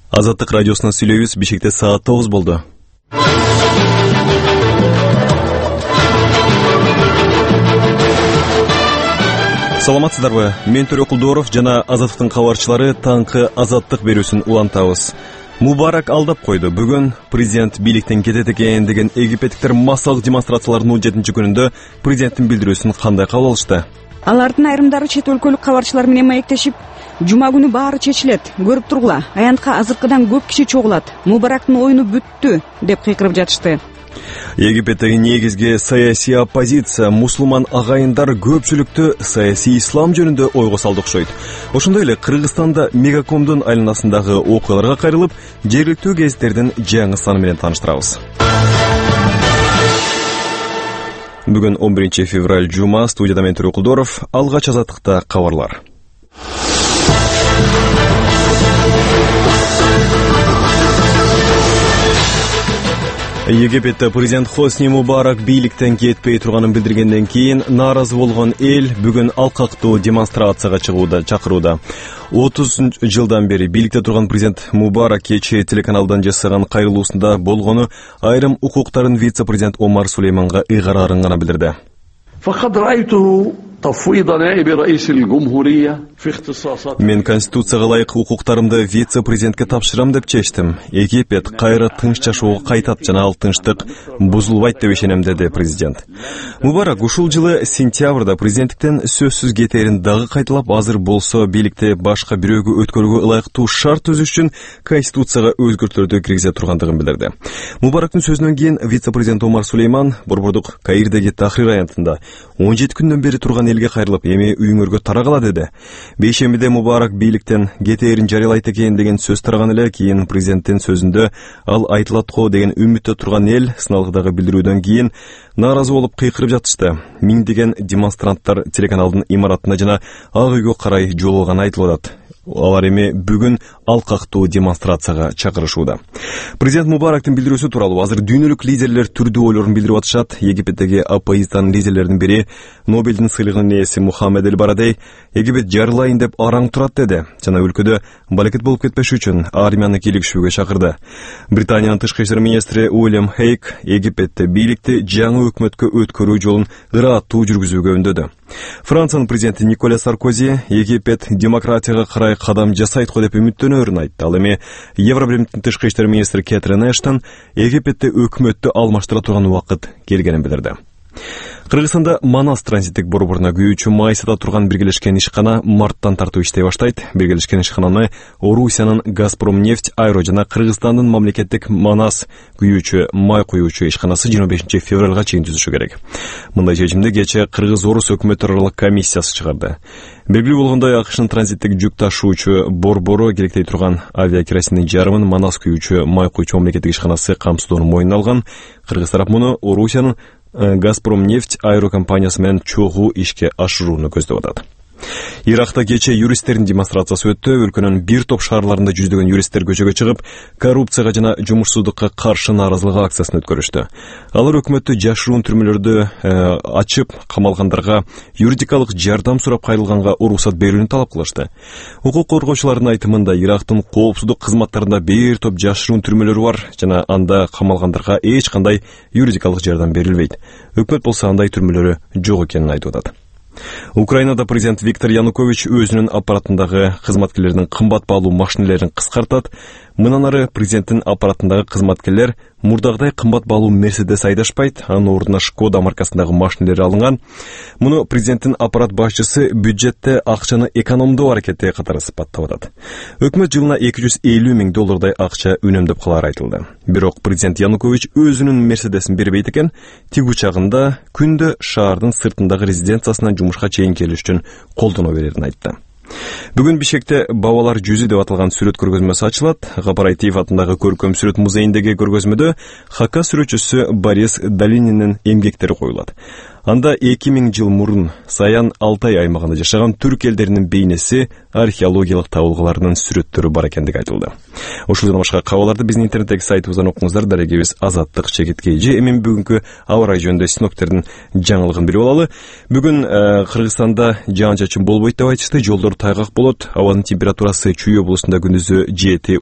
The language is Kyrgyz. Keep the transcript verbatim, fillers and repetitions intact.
Азаттык радиосунан сүйлөйбүз. Бишкекте саат тогуз болду. Саламатсыздарбы? Мен Төрө Кулдоров жана Азаттыктын кабарчылары таңкы азаттык берүүсүн улантабыз. Мубарак алдап койду. Бүгүн президент бийликтен кетет экен деген египеттиктер массалык демонстрациялардын он жетинчи күнүндө президенттин билдирүүсүн кандай кабыл алышты? Алардын айрымдары чет өлкөлүк кабарчылар менен маектешип, жума күнү баары чечилет, көрүп тургула, аянтка азыркыдан көп киши чогулат, Мубарактын оюну бүттү деп кыйкырып жатышты. Египеттеги негизги саясий оппозиция мусулман агайындар көпчүлүктү саясий ислам жөнүндө ойго салды окшойт. Ошондой эле Кыргызстанда Мегакомдун айланасындагы окуяларга кайрылып, жергиликтүү гезиттердин жаңы саны менен тааныштырабыз. Бүгүн он биринчи февраль жума, студияда мен Төрө Кулдоров, алгач азаттыкта кабарлар. Египетте президент Хосни Мубарак бийликтен кетпей турганын билдиргенден кийин нааразы болгон эл бүгүн алкактуу демонстрацияга чыгууда чакырууда. отуз жылдан бери бийликте турган президент Мубарак кечээ телеканалдан жасаган кайрылуусунда болгону айрым укуктарын вице-президент Омар Сулейманга ыйгарарын гана билдирди. Мен конституцияга ылайык укуктарымды вице-президентке тапшырам деп чечтим. Египет кайра тынч жашоого кайтат жана ал тынчтык бузулбайт деп ишенем, деди президент. Мубарак ушул жылы сентябрда президенттиктен сөзсүз кетээрин дагы кайталап, азыр болсо бийликти башка бирөөгө өткөрүүгө ылайыктуу шарт түзүш үчүн конституцияга өзгөртүүлөрдү киргизе тургандыгын билдирди. Мубарактын сөзүнөн кийин вице-президент Омар Сулейман борбордук Каирдеги Тахрир аянтында он жети күндөн бери турган элге кайрылып, эми үйүңөргө тарагыла деди. Бейшембиде Мубарак бийликтен кетээрин жарыялайт экен деген сөз тараган эле, кийин президенттин сөзүндө ал айтылат го деген үмүттө турган эл сыналгыдагы билдирүүдөн кийин нааразы болуп кыйкырып жатышты. Миңдеген демонстранттар телеканалдын имаратына жана Ак үйгө карай жол алганы айтылып атат. Алар эми бүгүн алкактуу демонстрацияга чакырышууда. Президент Мубарактын билдирүүсү тууралуу азыр дүйнөлүк лидерлер түрдүү ойлорун билдирип атышат. Египеттеги оппозициянын лидерлеринин бири, Нобелдин сыйлыгынын ээси Мухаммед Эль-Барадей, Египет жарылайын деп араң турат деди жана өлкөдө балекет болуп кетпеш үчүн армияны кийлигишүүгө чакырды. Британиянын тышкы иштер министри Уильям Хейк Египетте бийликти жаңы өкмөткө өткөрүү жолун ыраттуу жүргүзүүгө үндөдү. Франциянын президенти Николя Саркози Египет демократияга карай кадам жасайт го деп үмүттөнөрүн айтты. Ал эми Евробиримдин тышкы иштер министри Кэтрин Эштон Египетте өкмөттү алмаштыра турган убакыт келгенин билдирди. Кыргызстанда Манас транзиттик борборуна күйүүчү май сата турган биргелешкен ишкана марттан тартуу иштей баштайт. Биргелешкен ишкананы Орусиянын Газпромнефть Айро жана Кыргызстандын мамлекеттик Манас күйүүчү май куюучу ишканасы жыйырма бешинчи февралга чейин түзүшү керек. Мындай чечимди кечээ Кыргыз-Орус өкмөттөр аралык комиссиясы чыгарды. Белгилүү болгондой, АКШнын транзиттик жүк ташуучу борбору керектей турган авиакеросиндин жарымын Манас күйүүчү май куюучу мамлекеттик ишканасы камсыздоону мойнуна алган. Кыргыз тарап муну Орусиянын Газпромнефть Айро компаниясы менен чогуу ишке ашырууну көздөп атат. Иракта кечээ юристтердин демонстрациясы өттү. Өлкөнүн бир топ шаарларында жүздөгөн юристтер көчөгө чыгып, коррупцияга жана жумушсуздукка каршы нааразылык акциясын өткөрүштү. Алар өкмөттү жашыруун түрмөлөрдү э, ачып, камалгандарга юридикалык жардам сурап кайрылганга уруксат берүүнү талап кылышты. Укук коргоочулардын айтымында Ирактын коопсуздук кызматтарында бир топ жашыруун түрмөлөр бар жана анда камалгандарга эч кандай юридикалык жардам берилбейт. Өкмөт болсо андай түрмөлөрү жок экенин айтып атат. Украинада президент Виктор Янукович өзүнүн аппаратындагы кызматкерлердин кымбат баалуу машинелерин кыскартат. Мындан ары президенттин аппаратындагы кызматкерлер мурдагыдай кымбат баалуу Мерседес айдашпайт, анын ордуна Шкода маркасындагы машинелер алынган. Муну президенттин аппарат башчысы бюджетте акчаны экономдоо аракети катары сыпаттап атат. Өкмөт жылына эки жүз элүү миң доллардай акча үнөмдөп калары айтылды. Бирок президент Янукович өзүнүн Мерседесин бербейт экен. Тиг учагында күндө шаардын сыртындагы резиденциясынан жумушка чейин келиш үчүн колдоно берерин айтты. Бүгүн Бишкекте Бабалар жүзү деп аталган сүрөт көргөзмөсү ачылат. Гапараитиев атындагы көркөм сүрөт музейиндеги көргөзмөдө Хака сүрөтчүсү Борис Долининин эмгектери коюлат. Анда эки миң жыл мурун Саян Алтай аймагында жашаган түрк элдеринин бейнеси, археологиялык табылгаларынын сүрөттөрү бар экендиги айтылды. Ушул жана башка кабарларды биздин интернеттеги сайтыбыздан окуңуздар. Дарегебиз Азаттык чекиткей же. Эми бүгүнкү аба ырайы жөнүндө синоптиктердин жаңылыгын билип алалы. Бүгүн Кыргызстанда жаан чачын болбойт деп айтышты. Жолдор тайгак болот. Абанын температурасы Чүй облусунда күндүзү жети